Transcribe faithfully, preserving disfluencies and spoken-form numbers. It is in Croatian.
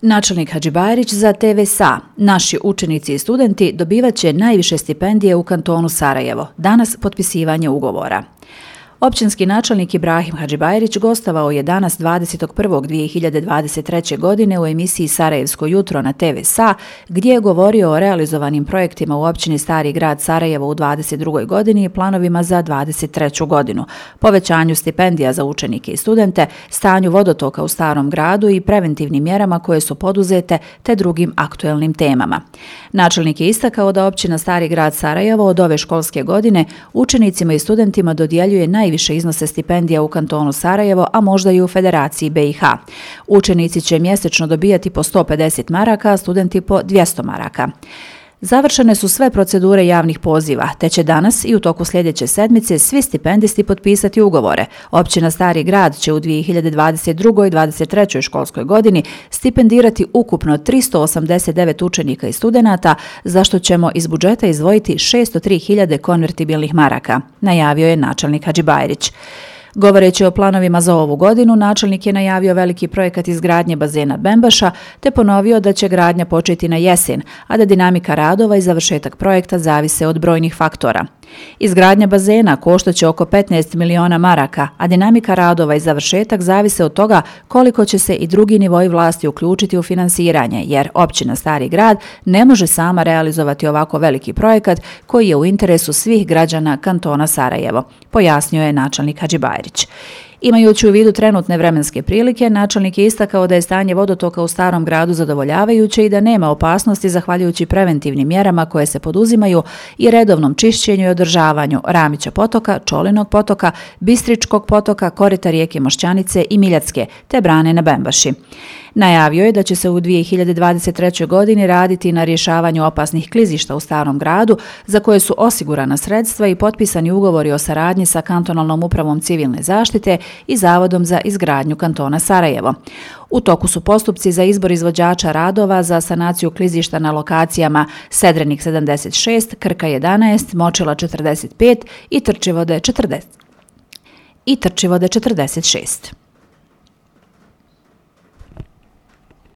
Načelnik Hadžibajrić za te ve es a. Naši učenici i studenti dobivat će najviše stipendije u kantonu Sarajevo. Danas potpisivanje ugovora. Općinski načelnik Ibrahim Hadžibajrić gostovao je danas dvadesetog prvog dvije hiljade dvadeset treće. godine u emisiji Sarajevsko jutro na te ve es a, gdje je govorio o realizovanim projektima u općini Stari grad Sarajevo u dvadeset drugoj. godini i planovima za dvadeset treću. godinu, povećanju stipendija za učenike i studente, stanju vodotoka u Starom gradu i preventivnim mjerama koje su poduzete te drugim aktuelnim temama. Načelnik je istakao da općina Stari grad Sarajevo od ove školske godine učenicima i studentima dodjeljuje naj više iznose stipendija u kantonu Sarajevo, a možda i u Federaciji be i ha. Učenici će mjesečno dobijati po sto pedeset maraka, a studenti po dvjesto maraka. Završene su sve procedure javnih poziva, te će danas i u toku sljedeće sedmice svi stipendisti potpisati ugovore. Općina Stari grad će u dvije hiljade dvadeset drugoj i dvadeset trećoj. školskoj godini stipendirati ukupno tristo osamdeset devet učenika i studenata, za što ćemo iz budžeta izdvojiti šesto tri hiljade konvertibilnih maraka, najavio je načelnik Hadžibajrić. Govoreći o planovima za ovu godinu, načelnik je najavio veliki projekat izgradnje bazena Bembaša, te ponovio da će gradnja početi na jesen, a da dinamika radova i završetak projekta zavise od brojnih faktora. Izgradnja bazena koštaće oko petnaest miliona maraka, a dinamika radova i završetak zavise od toga koliko će se i drugi nivoi vlasti uključiti u finansiranje, jer općina Stari grad ne može sama realizovati ovako veliki projekat koji je u interesu svih građana kantona Sarajevo, pojasnio je načelnik Hadžibajrić. Imajući u vidu trenutne vremenske prilike, načelnik je istakao da je stanje vodotoka u Starom gradu zadovoljavajuće i da nema opasnosti zahvaljujući preventivnim mjerama koje se poduzimaju i redovnom čišćenju i održavanju Ramića potoka, Čolinog potoka, Bistričkog potoka, korita rijeke Mošćanice i Miljacke, te brane na Bembaši. Najavio je da će se u dvije hiljade dvadeset trećoj. godini raditi na rješavanju opasnih klizišta u Starom gradu, za koje su osigurana sredstva i potpisani ugovori o saradnji sa kantonalnom upravom civilne zaštite i Zavodom za izgradnju kantona Sarajevo. U toku su postupci za izbor izvođača radova za sanaciju klizišta na lokacijama Sedrenik sedamdeset šest, Krka jedanaest, Močila četrdeset pet i Trčivode četrdeset šest.